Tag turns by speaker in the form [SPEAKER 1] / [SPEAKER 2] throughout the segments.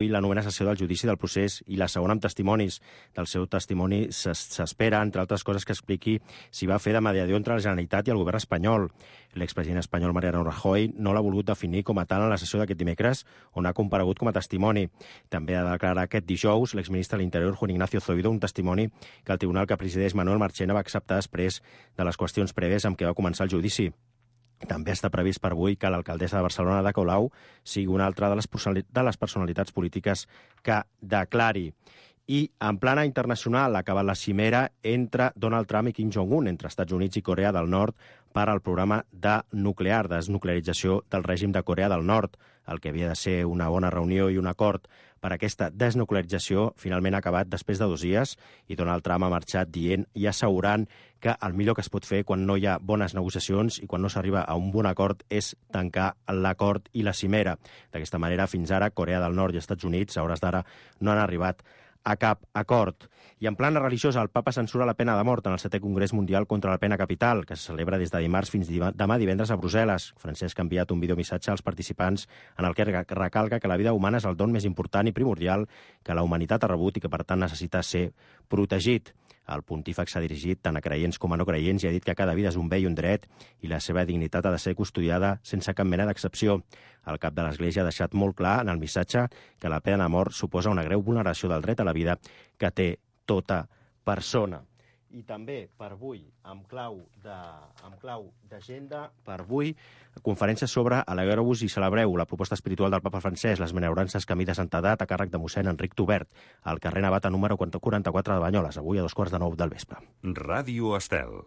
[SPEAKER 1] I la novena sessió del judici del procés i la segona amb testimonis. Del seu testimoni s'espera, entre altres coses, que expliqui si va fer de mediador entre la Generalitat i el govern espanyol. L'expresident espanyol Mariano Rajoy no l'ha volgut definir com a tal en la sessió d'aquest dimecres, on ha comparegut com a testimoni. També ha de declarar aquest dijous l'exministre de l'Interior, Juan Ignacio Zoido, un testimoni que el tribunal que presideix Manuel Marchena va acceptar després de les qüestions prèvies amb què va començar el judici. També està previst per avui que l'alcaldessa de Barcelona, Ada Colau, sigui una altra de les personalitats polítiques que declari. I en plana internacional ha acabat la cimera entre Donald Trump i Kim Jong-un, entre Estats Units i Corea del Nord, per al programa desnuclearització del règim de Corea del Nord. El que havia de ser una bona reunió i un acord per aquesta desnuclearització finalment ha acabat després de 2 dies i Donald Trump ha marxat dient i assegurant que el millor que es pot fer quan no hi ha bones negociacions i quan no s'arriba a un bon acord és tancar l'acord i la cimera. D'aquesta manera, fins ara, Corea del Nord i Estats Units, a hores d'ara, no han arribat a cap acord. I en plana religiosa, el papa censura la pena de mort en el 7è Congrés Mundial contra la Pena Capital, que se celebra des de dimarts fins demà divendres a Brussel·les. Francesc ha enviat un videomissatge als participants en el que recalca que la vida humana és el don més important i primordial que la humanitat ha rebut i que, per tant, necessita ser protegit. El pontífex s'ha dirigit tant a creients com a no creients i ha dit que cada vida és un bé i un dret i la seva dignitat ha de ser custodiada sense cap mena d'excepció. El cap de l'Església ha deixat molt clar en el missatge que la pena de mort suposa una greu vulneració del dret a la vida que té tota persona. I també per avui, amb clau d'agenda, per avui, conferència sobre Alegreu-vos i celebreu, la proposta espiritual del papa francès, les benaurances camí de santedat a càrrec de mossèn Enric Tobert, al carrer Navata número 44 de Banyoles, avui a 9:15 del vespre.
[SPEAKER 2] Ràdio Estel.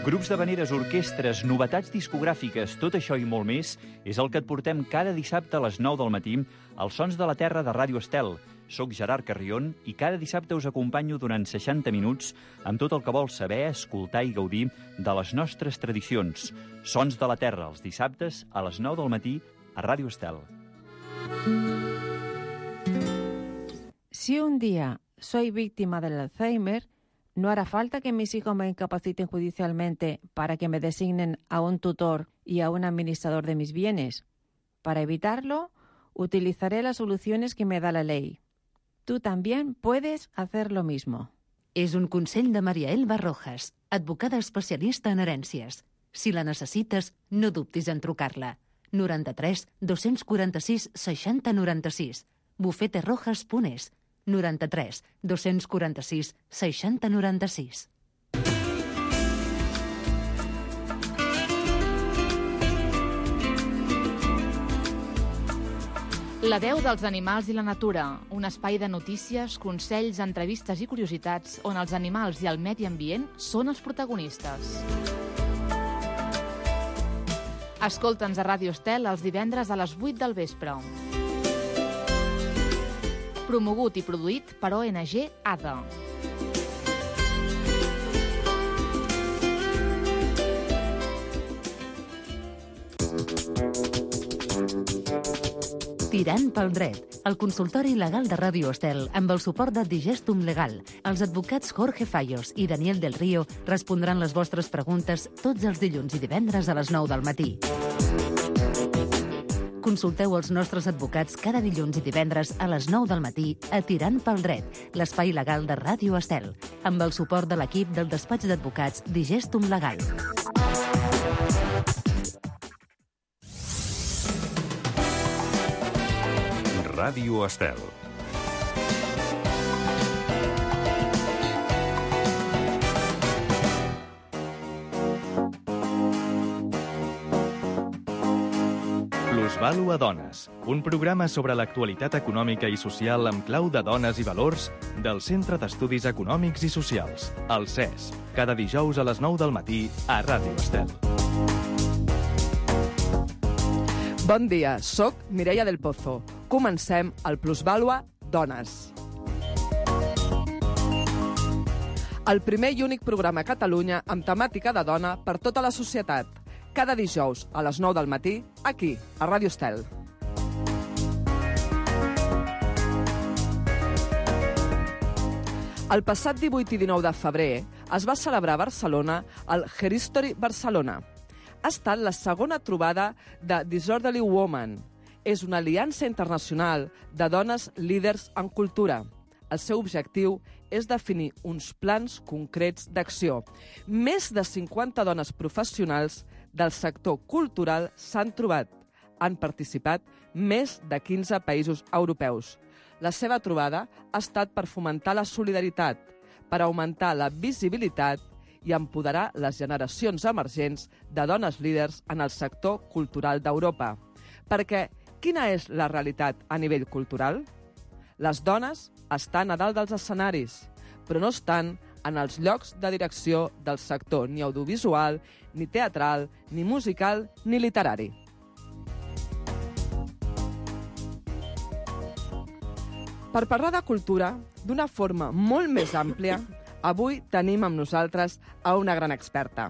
[SPEAKER 3] Grups d'havaneres, orquestres, novetats discogràfiques, tot això i molt més és el que et portem cada dissabte a les 9 del matí als Sons de la Terra de Ràdio Estel. Soc Gerard Carrion i cada dissabte us acompanyo durant 60 minuts amb tot el que vols saber, escoltar i gaudir de les nostres tradicions. Sons de la Terra, els dissabtes a les 9 del matí a Ràdio Estel.
[SPEAKER 4] Si un día soy víctima del Alzheimer, no hará falta que mis hijos me incapaciten judicialmente para que me designen a un tutor y a un administrador de mis bienes. Para evitarlo, utilizaré las soluciones que me da la ley. Tú también puedes hacer lo mismo.
[SPEAKER 5] És un consell de Maria Elba Rojas, advocada especialista en herències. Si la necessites, no dubtis en trucar-la. 93 246 60 96. bufeterojas.es. 93 246 60 96.
[SPEAKER 6] La veu dels animals i la natura, un espai de notícies, consells, entrevistes i curiositats on els animals i el medi ambient són els protagonistes. Escolta'ns a Ràdio Estel els divendres a les 8 del vespre. Promogut i produït per ONG ADA.
[SPEAKER 5] Tirant pel dret, el consultori legal de Ràdio Estel amb el suport de Digestum Legal. Els advocats Jorge Fallos i Daniel del Río respondran les vostres preguntes tots els dilluns i divendres a les 9 del matí. Consulteu els nostres advocats cada dilluns i divendres a les 9 del matí a Tirant pel dret, l'espai legal de Ràdio Estel, amb el suport de l'equip del despatx d'advocats Digestum Legal.
[SPEAKER 2] Ràdio Estel.
[SPEAKER 7] Plusvàlua Dones, un programa sobre l'actualitat econòmica i social amb clau de dones i valors del Centre d'Estudis Econòmics i Socials, el CES, cada dijous a les 9 del matí a Ràdio Estel.
[SPEAKER 8] Bon dia, soc Mireia del Pozo. Comencem el Plusvàlua Dones. El primer i únic programa a Catalunya amb temàtica de dona per tota la societat. Cada dijous a les 9 del matí, aquí, a Ràdio Estel. El passat 18 i 19 de febrer es va celebrar a Barcelona el Herhistory Barcelona. Ha estat la segona trobada de Disorderly Woman és una aliança internacional de dones líders en cultura. El seu objectiu és definir uns plans concrets d'acció. Més de 50 dones professionals del sector cultural s'han trobat. Han participat més de 15 països europeus. La seva trobada ha estat per fomentar la solidaritat, per augmentar la visibilitat i empoderar les generacions emergents de dones líders en el sector cultural d'Europa. Perquè quina és la realitat a nivell cultural? Les dones estan a dalt dels escenaris, però no estan en els llocs de direcció del sector ni audiovisual, ni teatral, ni musical, ni literari. Per parlar de cultura, d'una forma molt més àmplia, avui tenim amb nosaltres a una gran experta.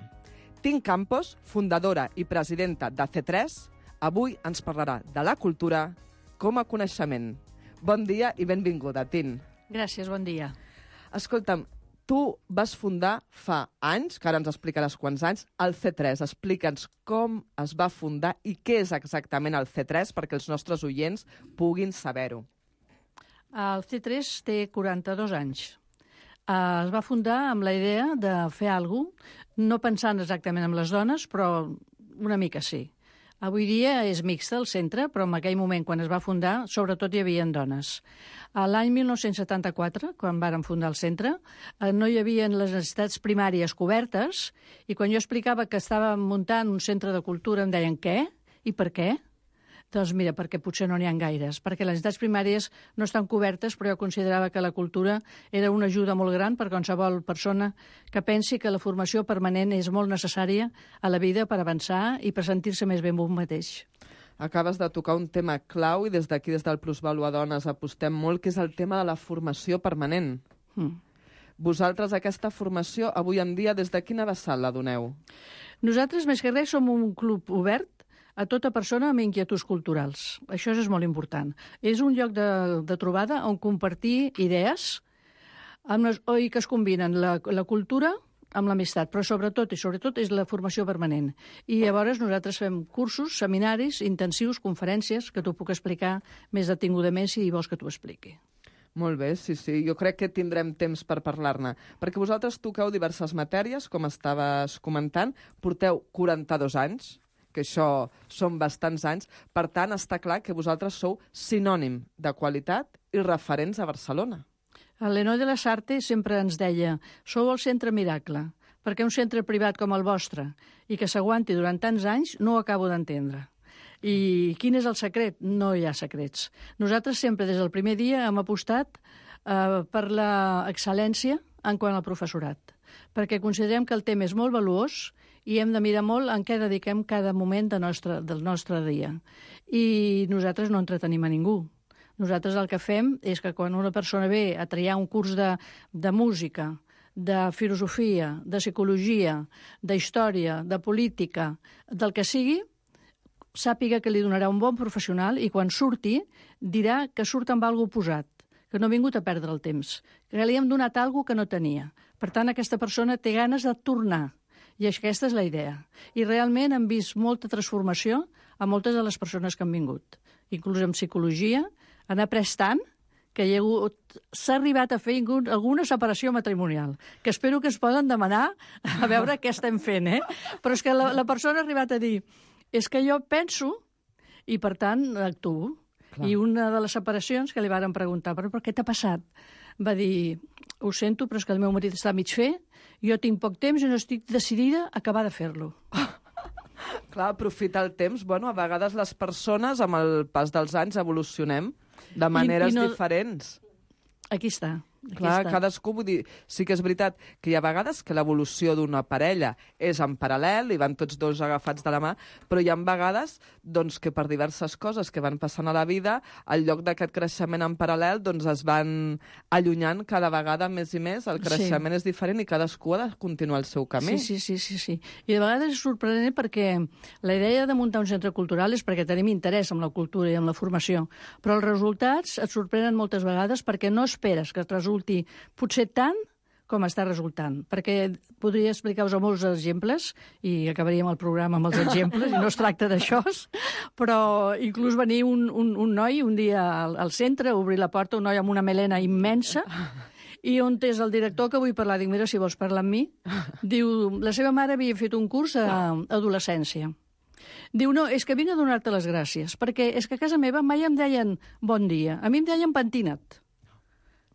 [SPEAKER 8] Tin Campos, fundadora i presidenta de C3, avui ens parlarà de la cultura com a coneixement. Bon dia i benvinguda, Tin.
[SPEAKER 9] Gràcies, bon dia.
[SPEAKER 8] Escolta'm, tu vas fundar fa anys, que ara ens explicaràs quants anys, el C3. Explica'ns com es va fundar i què és exactament el C3 perquè els nostres oients puguin saber-ho.
[SPEAKER 9] El C3 té 42 anys. Es va fundar amb la idea de fer alguna cosa, no pensant exactament en les dones, però una mica sí. Avui dia és mixta el centre, però en aquell moment, quan es va fundar, sobretot hi havia dones. L'any 1974, quan vàrem fundar el centre, no hi havia les necessitats primàries cobertes i quan jo explicava que estàvem muntant un centre de cultura em deien què i per què? Doncs mira, perquè potser no n'hi ha gaires, perquè les necessitats primàries no estan cobertes, però jo considerava que la cultura era una ajuda molt gran per qualsevol persona que pensi que la formació permanent és molt necessària a la vida per avançar i per sentir-se més bé amb un mateix.
[SPEAKER 8] Acabes de tocar un tema clau i des d'aquí, des del Plusvalua Dones, apostem molt, que és el tema de la formació permanent. Vosaltres aquesta formació, avui en dia, des de quina vessant la doneu?
[SPEAKER 9] Nosaltres, més que res, som un club obert a tota persona amb inquietuds culturals. Això és molt important. És un lloc de trobada on compartir idees i que es combinen la cultura amb l'amistat, però sobretot és la formació permanent. I llavors nosaltres fem cursos, seminaris, intensius, conferències, que t'ho puc explicar més detingudament si vols que t'ho expliqui.
[SPEAKER 8] Molt bé, sí. Jo crec que tindrem temps per parlar-ne. Perquè vosaltres toqueu diverses matèries, com estaves comentant, porteu 42 anys, que això són bastants anys. Per tant, està clar que vosaltres sou sinònim de qualitat i referents a Barcelona.
[SPEAKER 9] L'Henoi de la Sarte sempre ens deia «Sou el centre miracle, perquè un centre privat com el vostre i que s'aguanti durant tants anys no ho acabo d'entendre». I quin és el secret? No hi ha secrets. Nosaltres sempre, des del primer dia, hem apostat per l'excel·lència en quant al professorat, perquè considerem que el tema és molt valuós i hem de mirar molt en què dediquem cada moment del nostre dia. I nosaltres no entretenim a ningú. Nosaltres el que fem és que quan una persona ve a triar un curs de música, de filosofia, de psicologia, d'història, de política, del que sigui, sàpiga que li donarà un bon professional i quan surti dirà que surt amb alguna cosa posat, que no ha vingut a perdre el temps, que li hem donat alguna cosa que no tenia. Per tant, aquesta persona té ganes de tornar. I aquesta és la idea. I realment hem vist molta transformació a moltes de les persones que han vingut. Inclús en psicologia han après tant que s'ha arribat a fer alguna separació matrimonial, que espero que es poden demanar a veure què estem fent, Però és que la persona ha arribat a dir és que jo penso i, per tant, actuo. Clar. I una de les separacions que li varen preguntar però per què t'ha passat? Va dir, ho sento, però és que el meu marit està a mig fer, jo tinc poc temps i no estic decidida a acabar de fer-lo.
[SPEAKER 8] Clar, aprofitar el temps. Bueno, a vegades les persones, amb el pas dels anys, evolucionem de maneres diferents.
[SPEAKER 9] Aquí està.
[SPEAKER 8] Clar, cadascú, vull dir, sí que és veritat que hi ha vegades que l'evolució d'una parella és en paral·lel i van tots dos agafats de la mà, però hi ha vegades doncs, que per diverses coses que van passant a la vida, al lloc d'aquest creixement en paral·lel, doncs es van allunyant cada vegada més i més, el creixement és diferent i cadascú ha de continuar el seu camí.
[SPEAKER 9] Sí. I de vegades és sorprenent perquè la idea de muntar un centre cultural és perquè tenim interès en la cultura i en la formació, però els resultats et sorprenen moltes vegades perquè no esperes que et resulti potser tant com està resultant. Perquè podria explicar-vos molts exemples, i acabaríem el programa amb els exemples, i no es tracta d'això, però inclús venir un noi un dia al centre, obrir la porta, un noi amb una melena immensa, i on és el director que vull parlar? Dic, mira, si vols parlar amb mi. Diu, la seva mare havia fet un curs a adolescència. Diu, no, és que vinc a donar-te les gràcies, perquè és que a casa meva mai em deien bon dia, a mi em deien pentina't.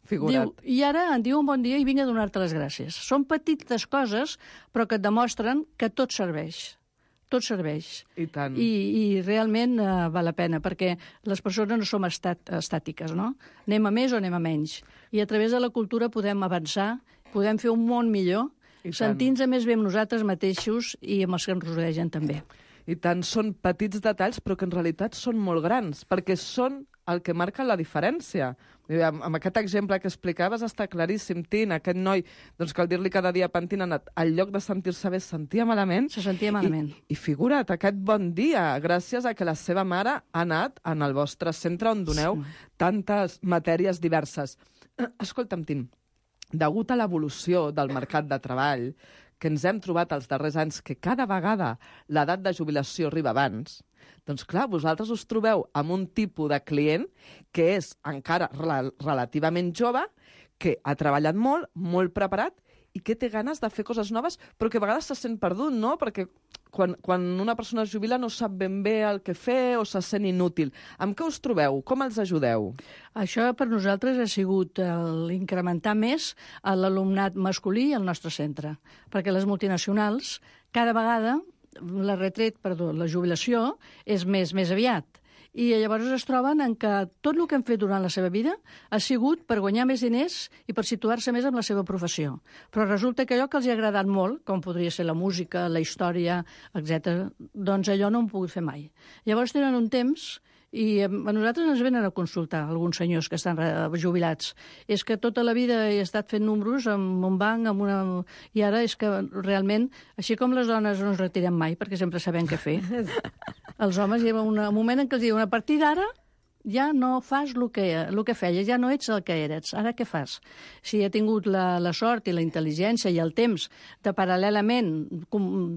[SPEAKER 8] Figurat.
[SPEAKER 9] Diu, i ara em diuen bon dia i vinc a donar-te les gràcies. Són petites coses, però que et demostren que tot serveix. Tot serveix.
[SPEAKER 8] I tant.
[SPEAKER 9] I realment val la pena, perquè les persones no som estàtiques, no? Anem a més o anem a menys. I a través de la cultura podem avançar, podem fer un món millor, sentint-nos més bé amb nosaltres mateixos i amb els que ens rodegen també.
[SPEAKER 8] I tant, són petits detalls, però que en realitat són molt grans, perquè són el que marca la diferència. Amb aquest exemple que explicaves està claríssim, Tin, aquest noi, doncs cal dir-li cada dia pentinat, al lloc de sentir-se bé, es sentia malament.
[SPEAKER 9] Se sentia malament.
[SPEAKER 8] I figura't, aquest bon dia, gràcies a que la seva mare ha anat en el vostre centre on doneu tantes matèries diverses. Escolta'm, Tin, degut a l'evolució del mercat de treball, que ens hem trobat els darrers anys que cada vegada l'edat de jubilació arriba abans, doncs clar, vosaltres us trobeu amb un tipus de client que és encara relativament jove, que ha treballat molt, molt preparat i que té ganes de fer coses noves, però que a vegades se sent perdut, no? Perquè quan una persona es jubila no sap ben bé el que fer o se sent inútil. Amb què us trobeu? Com els ajudeu?
[SPEAKER 9] Això per nosaltres ha sigut l'incrementar més l'alumnat masculí al nostre centre, perquè les multinacionals cada vegada la jubilació és més aviat. I llavors es troben en que tot el que han fet durant la seva vida ha sigut per guanyar més diners i per situar-se més en la seva professió. Però resulta que allò que els ha agradat molt, com podria ser la música, la història, etc., doncs allò no ho han pogut fer mai. Llavors tenen un temps i a nosaltres ens venen a consultar alguns senyors que estan jubilats. És que tota la vida he estat fent números amb un banc, i ara és que realment, així com les dones no ens retirem mai, perquè sempre sabem què fer, els homes hi ha un moment en què els diuen a partir d'ara ja no fas el que feies, ja no ets el que eres, ara què fas? Si he tingut la sort i la intel·ligència i el temps de paral·lelament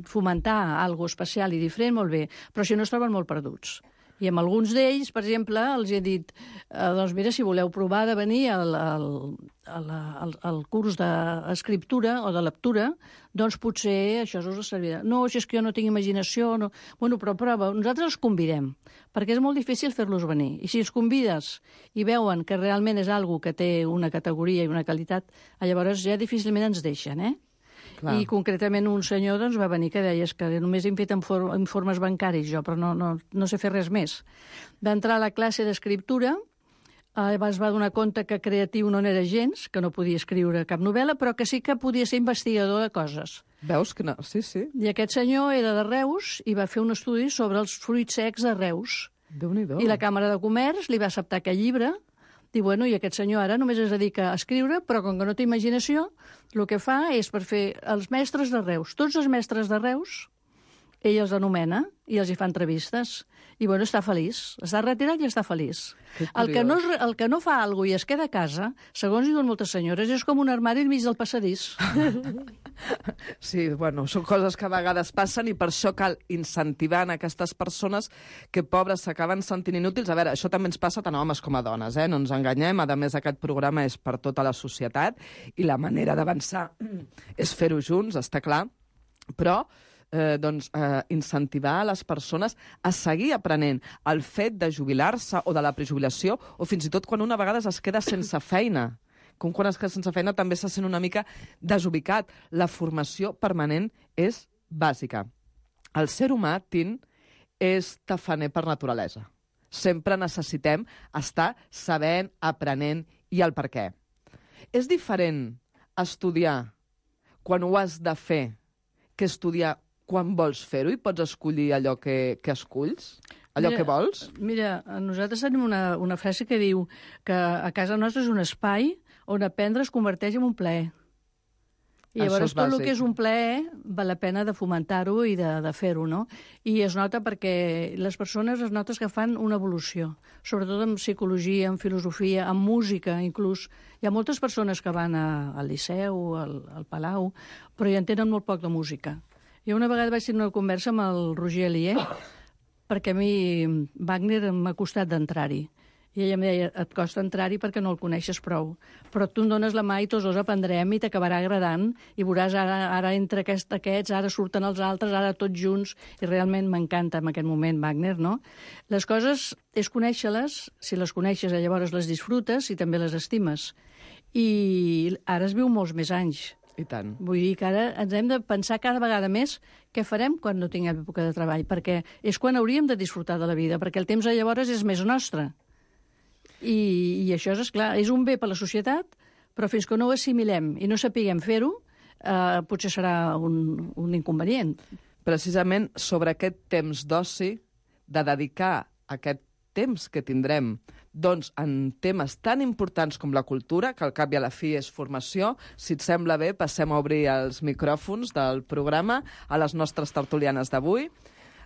[SPEAKER 9] fomentar alguna especial i diferent, molt bé, però si no es troben molt perduts. I amb alguns d'ells, per exemple, els he dit, doncs mira, si voleu provar de venir al curs d'escriptura o de lectura, doncs potser això us servirà. No, si és que jo no tinc imaginació, no. Bueno, però prova, nosaltres els convidem, perquè és molt difícil fer-los venir. I si els convides i veuen que realment és algo que té una categoria i una qualitat, llavors ja difícilment ens deixen, Clar. I concretament un senyor doncs, va venir que deia que només hem fet informes bancaris jo, però no sé fer res més. Va entrar a la classe d'escriptura, es va donar compte que creatiu no n'era gens, que no podia escriure cap novel·la, però que sí que podia ser investigador de coses.
[SPEAKER 8] Veus que no? Sí, sí.
[SPEAKER 9] I aquest senyor era de Reus i va fer un estudi sobre els fruits secs de Reus.
[SPEAKER 8] Déu-n'hi-do.
[SPEAKER 9] I la Càmera de Comerç li va acceptar aquest llibre. Diu, bueno, i aquest senyor ara només es dedica a escriure, però com que no té imaginació, el que fa és per fer els mestres de Reus. Tots els mestres de Reus, ell els anomena i els hi fa entrevistes. I, bueno, està feliç. Està retirat i està feliç. El que no fa alguna cosa i es queda a casa, segons diuen moltes senyores, és com un armari al mig del passadís.
[SPEAKER 8] Sí, bueno, són coses que a vegades passen i per això cal incentivar en aquestes persones que, pobres, s'acaben sentint inútils. A veure, això també ens passa tant a homes com a dones, no ens enganyem. A més, aquest programa és per tota la societat i la manera d'avançar és fer-ho junts, està clar, però incentivar les persones a seguir aprenent. El fet de jubilar-se o de la prejubilació, o fins i tot quan una vegada es queda sense feina. Com quan es queda sense feina també se sent una mica desubicat. La formació permanent és bàsica. El ser humà, Tin, és tafaner per naturalesa. Sempre necessitem estar sabent, aprenent i el per què. És diferent estudiar quan ho has de fer que estudiar quan vols fer-ho i pots escollir allò que esculls? Allò que vols?
[SPEAKER 9] Mira, nosaltres tenim una frase que diu que a casa nostra és un espai on aprendre es converteix en un plaer. I llavors tot el
[SPEAKER 8] bàsic.
[SPEAKER 9] que és un plaer val la pena de fomentar-ho i de fer-ho, no? I es nota perquè les persones es notes que fan una evolució, sobretot en psicologia, en filosofia, en música, inclús. Hi ha moltes persones que van al Liceu, al Palau, però hi entenen molt poc de música. Jo una vegada vaig tenir una conversa amb el Roger Alier, perquè a mi Wagner m'ha costat d'entrar-hi. I ella em deia, et costa entrar-hi perquè no el coneixes prou. Però tu em dones la mà i tots dos aprendrem i t'acabarà agradant i veuràs ara entre aquests, ara surten els altres, ara tots junts, i realment m'encanta en aquest moment Wagner, no? Les coses és conèixer-les, si les coneixes llavors les disfrutes i també les estimes. I ara es viu molts més anys.
[SPEAKER 8] I tant.
[SPEAKER 9] Vull dir que ara ens hem de pensar cada vegada més què farem quan no tinguem època de treball, perquè és quan hauríem de disfrutar de la vida, perquè el temps llavors és més nostre. I això és clar, és un bé per a la societat, però fins que no ho assimilem i no sapiguem fer-ho, potser serà un inconvenient.
[SPEAKER 8] Precisament sobre aquest temps d'oci, de dedicar aquest temps que tindrem doncs, en temes tan importants com la cultura, que al cap i a la fi és formació. Si et sembla bé, passem a obrir els micròfons del programa a les nostres tertulianes d'avui.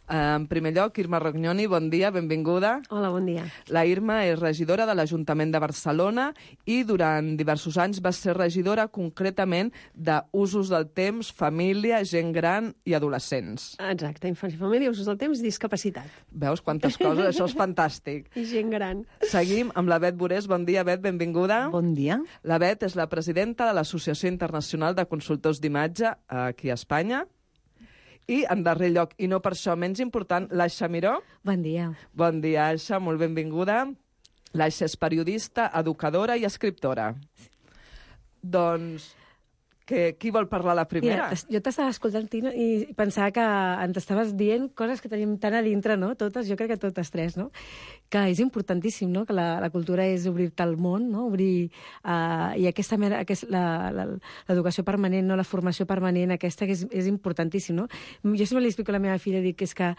[SPEAKER 8] En primer lloc, Irma Rognoni, bon dia, benvinguda.
[SPEAKER 10] Hola, bon dia.
[SPEAKER 8] La Irma és regidora de l'Ajuntament de Barcelona i durant diversos anys va ser regidora concretament d'usos del temps, família, gent gran i adolescents.
[SPEAKER 10] Exacte, infància i família, usos del temps, discapacitat.
[SPEAKER 8] Veus quantes coses? Això és fantàstic.
[SPEAKER 10] I gent gran.
[SPEAKER 8] Seguim amb la Bet Borés. Bon dia, Bet, benvinguda.
[SPEAKER 11] Bon dia.
[SPEAKER 8] La Bet és la presidenta de l'Associació Internacional de Consultors d'Imatge aquí a Espanya. I, en darrer lloc, i no per això menys important, l'Aixa Miró.
[SPEAKER 11] Bon dia.
[SPEAKER 8] Bon dia, Aixa, molt benvinguda. L'Aixa és periodista, educadora i escriptora. Doncs, qui vol parlar la primera?
[SPEAKER 11] Mira, jo t'estava escoltant, Tina, i pensava que ens estaves dient coses que tenim tan a dintre, no? Totes, jo crec que totes tres, no? Que és importantíssim, no? Que la cultura és obrir-te al món, no? Obrir... I l'educació permanent, no? La formació permanent, aquesta que és importantíssim, no? Jo sempre li explico a la meva filla, dic que és que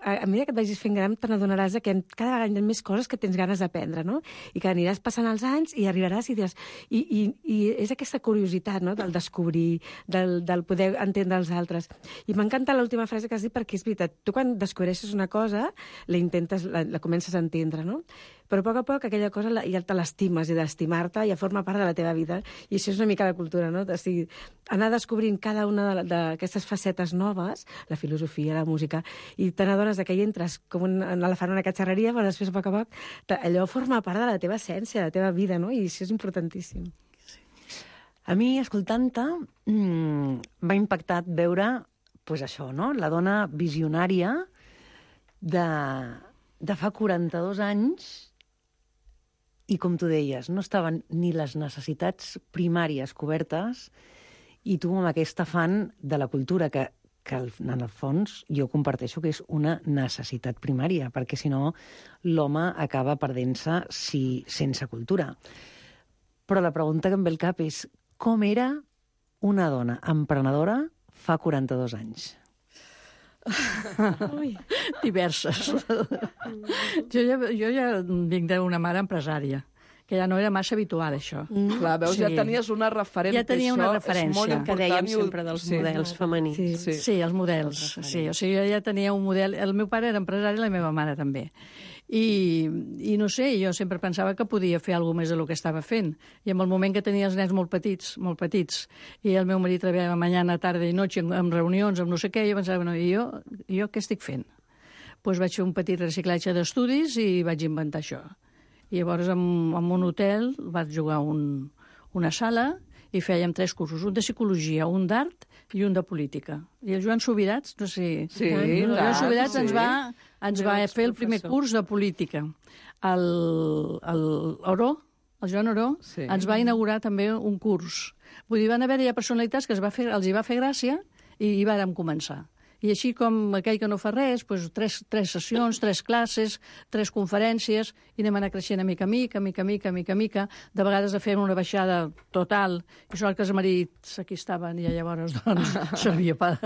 [SPEAKER 11] a mesura que et vagis fent gran, te n'adonaràs que cada vegada hi ha més coses que tens ganes d'aprendre, no? I que aniràs passant els anys i arribaràs i diràs... I és aquesta curiositat, no?, del descobrir, del poder entendre els altres. I m'encanta l'última frase que has dit perquè és veritat. Tu quan descobreixes una cosa, la comences a entendre, no? Però a poc aquella cosa ja te l'estimes i d'estimar-te ja forma part de la teva vida. I això és una mica la cultura, no? O sigui, anar descobrint cada una d'aquestes facetes noves, la filosofia, la música, i te n'adones que hi entres com un elefant en una catxarreria, però després a poc, allò forma part de la teva essència, de la teva vida, no? I això és importantíssim.
[SPEAKER 12] A mi, escoltant-te, m'ha impactat veure, pues això, no? La dona visionària de fa 42 anys, i com tu deies, no estaven ni les necessitats primàries cobertes, i tu amb aquest afany de la cultura que en el fons jo comparteixo que és una necessitat primària, perquè si no l'home acaba perdent-se sense cultura. Però la pregunta que em ve al cap és com era una dona emprenedora fa 42 anys?
[SPEAKER 9] Diverses. Jo ja vinc d'una mare empresària, que ja no era massa habitual, això.
[SPEAKER 8] Clar, veus, ja tenies una referent.
[SPEAKER 9] Ja tenia una referència.
[SPEAKER 8] És molt important.
[SPEAKER 10] Que dèiem sempre dels models femenins.
[SPEAKER 9] Sí, els models. Sí, o sigui, jo ja tenia un model... El meu pare era empresari i la meva mare també. I no sé, jo sempre pensava que podia fer alguna més del que estava fent. I en el moment que tenia els nens molt petits, i el meu marit treballava mañana, tarda i noche, amb reunions, amb no sé què, jo pensava, bueno, i jo què estic fent? Doncs vaig fer un petit reciclatge d'estudis i vaig inventar això. I llavors, en un hotel, vaig jugar una sala i fèiem 3 cursos, un de psicologia, un d'art i un de política. I el Joan Subirats, no sé...
[SPEAKER 8] Sí,
[SPEAKER 9] el Joan Subirats ens va fer el primer curs de política. El Joan Oró ens va inaugurar també un curs. Vull dir, van haver-hi personalitats que els hi va fer gràcia i hi vàrem començar. I així com aquell que no fa res, doncs 3 sessions, 3 classes, 3 conferències, i anem anar creixent a mica. De vegades fem una baixada total, i sort que els marits aquí estaven, i llavors doncs, servia per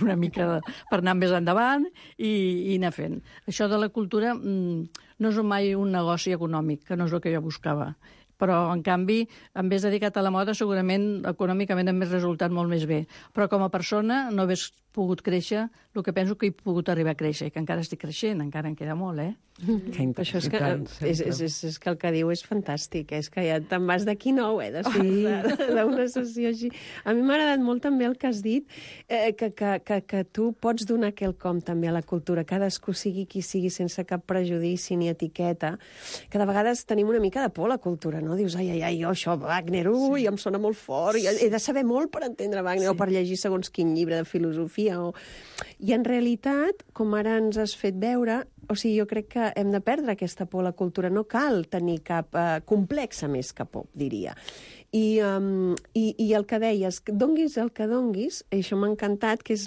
[SPEAKER 9] una mica per anar més endavant i anar fent. Això de la cultura no és mai un negoci econòmic, que no és el que jo buscava. Però, en canvi, en vez dedicat a la moda, segurament econòmicament hem resultat molt més bé. Però com a persona no hagués pogut créixer el que penso que he pogut arribar a créixer, i que encara estic creixent, encara en queda molt,
[SPEAKER 10] Això és que, és que el que diu és fantàstic, és que ja te'n vas d'aquí nou, d'una sessió així. A mi m'ha agradat molt també el que has dit, que tu pots donar quelcom també a la cultura, cadascú sigui qui sigui, sense cap prejudici ni etiqueta, que de vegades tenim una mica de por a la cultura, no? Dius, ai, jo això, Wagner, em sona molt fort, he de saber molt per entendre Wagner, o per llegir segons quin llibre de filosofia, I en realitat, com ara ens has fet veure, o sigui, jo crec que hem de perdre aquesta por a la cultura. No cal tenir cap complexa més que por, diria. I el que deies, donguis el que donguis, això m'ha encantat, que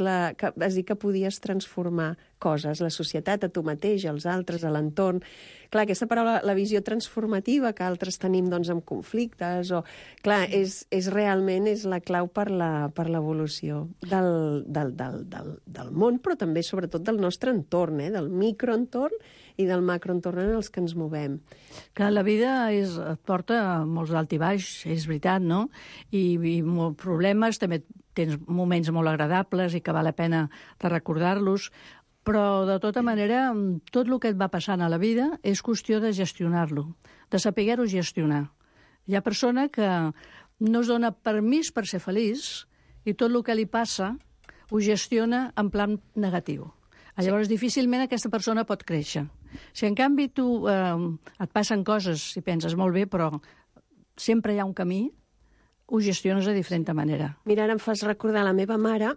[SPEAKER 10] vas dir que podies transformar coses, la societat, a tu mateix, als altres, a l'entorn. Clar, aquesta paraula, la visió transformativa que altres tenim doncs, amb conflictes, clar, és realment la clau per l'evolució del món, però també, sobretot, del nostre entorn, del microentorn i del macroentorn en els que ens movem.
[SPEAKER 9] Clar, la vida et porta molts d'alt i baix, és veritat, no? I molts problemes, també tens moments molt agradables i que val la pena de recordar-los, però, de tota manera, tot el que et va passant a la vida és qüestió de gestionar-lo, de saber-ho gestionar. Hi ha persona que no es dona permís per ser feliç i tot el que li passa ho gestiona en plan negatiu. Llavors, difícilment aquesta persona pot créixer. Si, en canvi, tu et passen coses i penses molt bé, però sempre hi ha un camí, ho gestiones de diferent manera.
[SPEAKER 10] Mira, ara em fas recordar, la meva mare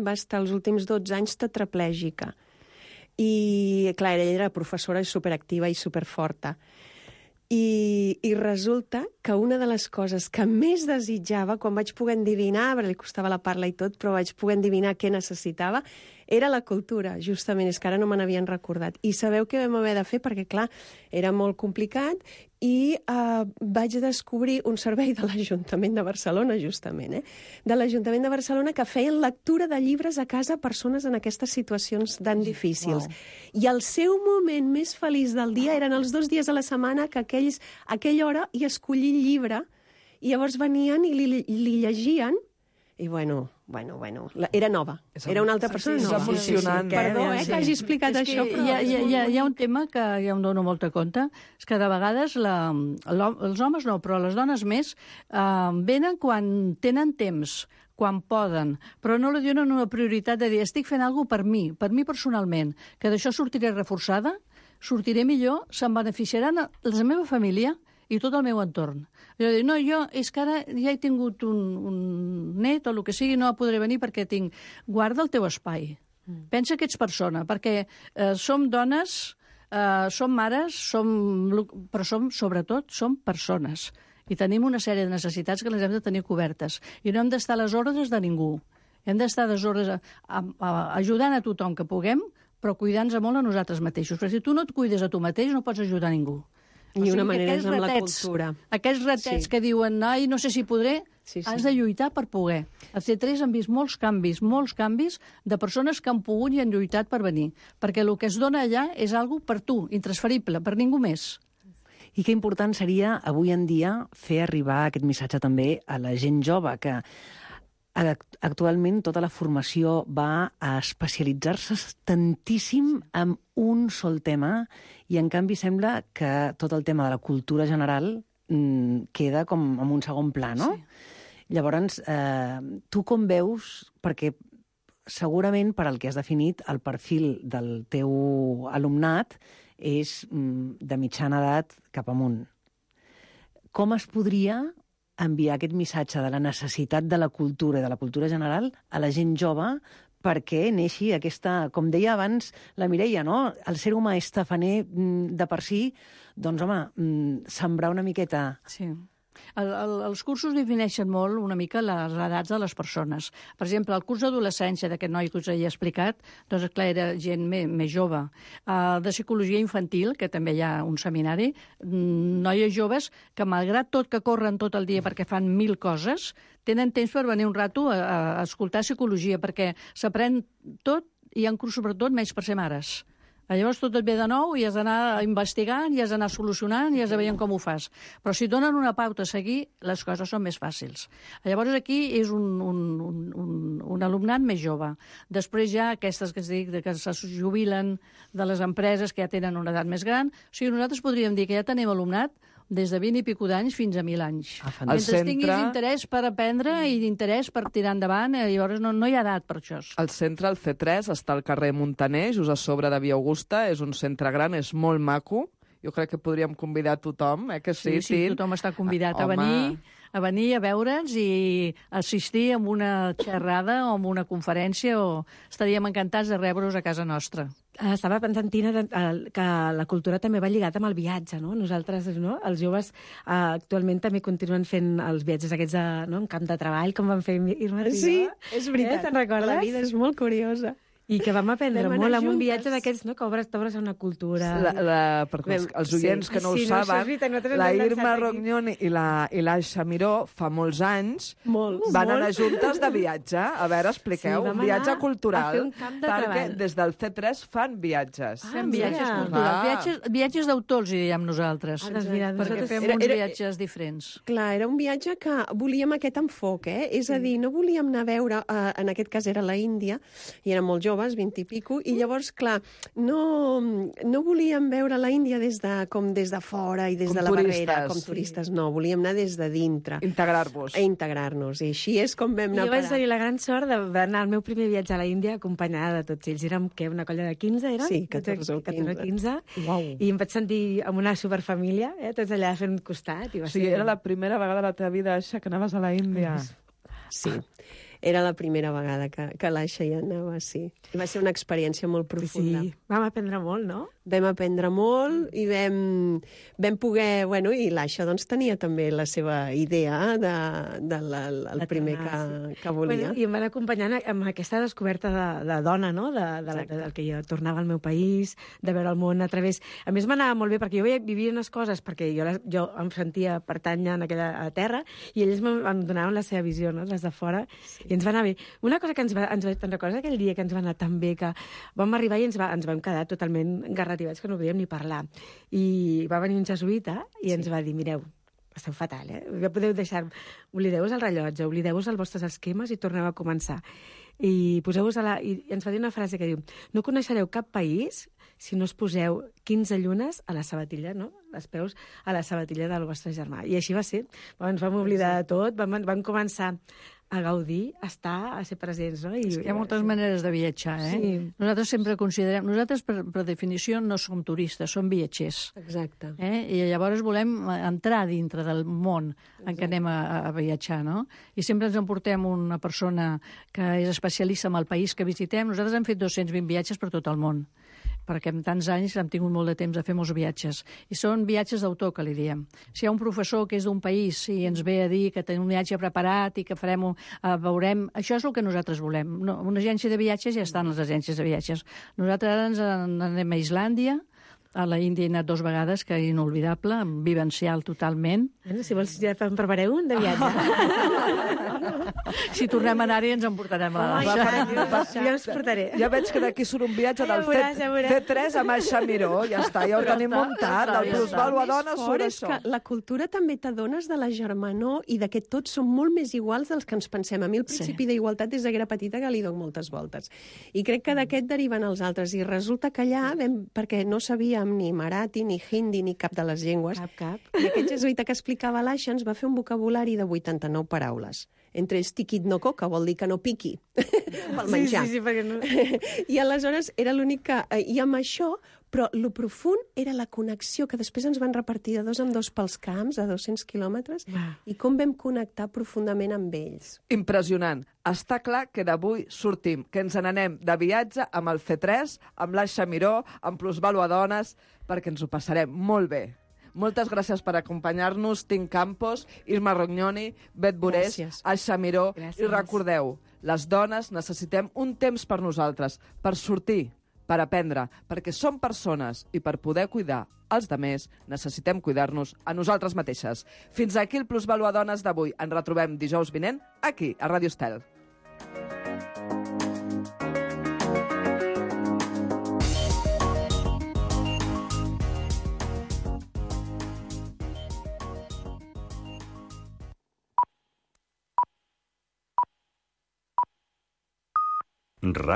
[SPEAKER 10] va estar els últims 12 anys tetraplègica. I, clar, ella era professora superactiva i superforta. I resulta que una de les coses que més desitjava, quan vaig poder endevinar, perquè li costava la parla i tot, però vaig poder endevinar què necessitava, era la cultura, justament, és que ara no me n'havien recordat. I sabeu què vam haver de fer? Perquè, clar, era molt complicat i vaig descobrir un servei de l'Ajuntament de Barcelona, justament, de l'Ajuntament de Barcelona, que feien lectura de llibres a casa a persones en aquestes situacions tan difícils. Wow. I el seu moment més feliç del dia eren els 2 dies a la setmana que aquella hora hi escollir llibre, i llavors venien i li llegien, i bueno, era nova. Era una altra persona nova.
[SPEAKER 8] És emocionant.
[SPEAKER 10] Perdó, que hagi explicat això, però...
[SPEAKER 9] Hi ha un tema que ja em dono molta compte, és que de vegades els homes no, però les dones més venen quan tenen temps, quan poden, però no li donen una prioritat de dir estic fent alguna cosa per mi personalment, que d'això sortiré reforçada, sortiré millor, se'n beneficiaran la meva família i tot el meu entorn. Jo dic, és que ara ja he tingut un net o el que sigui, no podré venir perquè tinc... Guarda el teu espai. Pensa que ets persona, perquè som dones, som mares, però sobretot som persones. I tenim una sèrie de necessitats que les hem de tenir cobertes. I no hem d'estar a les ordres de ningú. Hem d'estar a les ordres ajudant a tothom que puguem, però cuidant-nos molt a nosaltres mateixos. Perquè si tu no et cuides a tu mateix, no pots ajudar a ningú.
[SPEAKER 10] I una manera és amb la cultura.
[SPEAKER 9] Aquests ratets que diuen, no sé si podré, has de lluitar per poder. Els C3 han vist molts canvis de persones que han pogut i han lluitat per venir. Perquè el que es dona allà és algo per tu, intransferible, per ningú més.
[SPEAKER 12] I que important seria, avui en dia, fer arribar aquest missatge també a la gent jove, que actualment tota la formació va a especialitzar-se tantíssim en un sol tema i, en canvi, sembla que tot el tema de la cultura general queda com en un segon pla, no? Sí. Llavors, tu com veus, perquè segurament per al que has definit el perfil del teu alumnat és de mitjana edat cap amunt. Com es podria enviar aquest missatge de la necessitat de la cultura i de la cultura general a la gent jove perquè neixi aquesta, com deia abans la Mireia, no? El ser humà és tafaner de per si, doncs, home, sembrar una miqueta...
[SPEAKER 9] Sí. Els cursos defineixen molt una mica les edats de les persones. Per exemple, el curs d'adolescència d'aquest noi que us he explicat, doncs, clar, era gent més jove. De psicologia infantil, que també hi ha un seminari, noies joves que, malgrat tot que corren tot el dia perquè fan 1000 coses, tenen temps per venir un rato a escoltar psicologia, perquè s'aprèn tot i hi ha un curs, sobretot, menys per ser mares. Llavors tot et ve de nou i has d'anar investigant, i has d'anar solucionant, i has de veure com ho fas. Però si et donen una pauta a seguir, les coses són més fàcils. Llavors aquí és un alumnat més jove. Després ja aquestes que es dic, que se jubilen de les empreses que ja tenen una edat més gran. O sigui, nosaltres podríem dir que ja tenim alumnat des de 20 i pico d'anys fins a 1.000 anys. Mentre tinguis interès per aprendre i interès per tirar endavant, llavors no hi ha edat per això.
[SPEAKER 8] El centre, el C3, està al carrer Muntaner, just a sobre de Via Augusta, és un centre gran, és molt maco. Jo crec que podríem convidar tothom, que sí,
[SPEAKER 9] sí, tothom està convidat a venir a veure'ns i assistir a una xerrada o a una conferència, o estaríem encantats de rebre-us a casa nostra.
[SPEAKER 11] Estava pensant, Tina, que la cultura també va lligada amb el viatge, no? Nosaltres, no? Els joves, actualment també continuen fent els viatges aquests en camp de treball, com van fer Irma i jo.
[SPEAKER 10] Sí, és veritat.
[SPEAKER 11] Te'n recordes?
[SPEAKER 10] La vida és molt curiosa.
[SPEAKER 11] I que vam aprendre molt amb un viatge d'aquests, no? Que t'obres a una cultura.
[SPEAKER 8] Perquè els oients que no ho saben, la Irma Rognoni i l'Aixa Miró fa molts anys van anar juntes de viatge. A veure, expliqueu, un viatge cultural, perquè des del C3 fan viatges.
[SPEAKER 9] Fem viatges culturals. Viatges d'autor, els diem nosaltres, perquè fem uns viatges diferents.
[SPEAKER 10] Clar, era un viatge que volíem aquest enfoc, és a dir, no volíem anar a veure, en aquest cas era la Índia, i érem molt joves, 20 i pico, i llavors, clar, no volíem veure la Índia des de fora i des de la barrera, com turistes, no, volíem anar des de dintre. Integrar-nos, i així és com vam anar a parar.
[SPEAKER 11] Jo vaig tenir la gran sort d'anar al meu primer viatge a la Índia acompanyada de tots ells. Érem, una colla de 15, érem?
[SPEAKER 10] Sí, 14 o 15.
[SPEAKER 11] I em vaig sentir amb una superfamília, tots allà fent costat.
[SPEAKER 8] O sigui, era la primera vegada a la teva vida, Aixa, que anaves a la Índia.
[SPEAKER 10] Sí. Era la primera vegada que l'Aixa hi anava, sí. Va ser una experiència molt profunda.
[SPEAKER 11] Sí, vam aprendre molt, no?
[SPEAKER 10] Vam aprendre molt i vam poder... Bueno, i l'Aixa doncs tenia també la seva idea del primer que volia.
[SPEAKER 11] I em van acompanyant amb aquesta descoberta de dona, no? Del que jo tornava al meu país, de veure el món a través... A més, m'anava molt bé, perquè jo vivia unes coses, perquè jo em sentia pertànyer en aquella terra, i ells em donaven la seva visió, no? Les de fora, i ens va anar bé. Una cosa que te'n recordes aquell dia que ens va anar tan bé, que vam arribar i ens vam quedar totalment garrativats, que no podíem ni parlar. I va venir un jesuïta i ens va dir, mireu, esteu fatal, ja podeu deixar... Oblideu-vos el rellotge, oblideu-vos els vostres esquemes i torneu a començar. I poseu-vos i ens va dir una frase que diu, no coneixereu cap país si no us poseu 15 llunes a la sabatilla, no? Els peus a la sabatilla del vostre germà. I així va ser. Ens vam oblidar de tot, vam començar a gaudir, a ser presents, no?
[SPEAKER 9] Hi ha moltes maneres de viatjar,
[SPEAKER 11] Sí.
[SPEAKER 9] Nosaltres sempre considerem... Nosaltres, per definició, no som turistes, som viatgers.
[SPEAKER 10] Exacte.
[SPEAKER 9] I llavors volem entrar dintre del món en què anem a viatjar, no? I sempre ens emportem una persona que és especialista en el país que visitem. Nosaltres hem fet 220 viatges per tot el món, perquè en tants anys hem tingut molt de temps de fer molts viatges. I són viatges d'autor, que li diem. Si hi ha un professor que és d'un país i ens ve a dir que tenim un viatge preparat i que veurem... Això és el que nosaltres volem. No, una agència de viatges ja estan les agències de viatges. Nosaltres ara ens anem a Islàndia, a la Índia he anat 2 vegades, que és inolvidable, vivencial totalment.
[SPEAKER 11] Bueno, si vols, ja en prepareu un de viatge.
[SPEAKER 9] Si tornem a anar-hi ens en portarem a
[SPEAKER 11] Ja us portaré.
[SPEAKER 8] Ja veig que d'aquí surt un viatge del C3 amb Aixa Miró. Ja està, ja ho tenim muntat. El plusvàlua dona surt això.
[SPEAKER 10] La cultura també t'adones de la germanor i de que tots som molt més iguals dels que ens pensem. A mi el principi d'igualtat des de que era petita que li dono moltes voltes. I crec que d'aquest deriven els altres. I resulta que allà, perquè no sabíem ni marathi, ni hindi, ni cap de les llengües, i aquest jesuïta que explicava l'Aixa ens va fer un vocabulari de 89 paraules. Entre ells tiquit-no-co, que vol dir que no piqui pel menjar.
[SPEAKER 11] Sí, perquè no...
[SPEAKER 10] I aleshores era l'únic que... I amb això, però lo profund era la connexió, que després ens van repartir de 2 en 2 pels camps, a 200 quilòmetres, i com vam connectar profundament amb ells.
[SPEAKER 8] Impressionant. Està clar que d'avui sortim, que ens n'anem de viatge amb el C3, amb l'Aixa Miró, amb Plusvàlua Dones, perquè ens ho passarem molt bé. Moltes gràcies per acompanyar-nos, Tim Campos, Irma Rognoni, Bet Borés, Aixa Miró. I recordeu, les dones necessitem un temps per nosaltres, per sortir, per aprendre, perquè som persones i per poder cuidar els demés necessitem cuidar-nos a nosaltres mateixes. Fins aquí el Plusvàlua Dones d'avui. Ens retrobem dijous vinent aquí, a Ràdio Estel.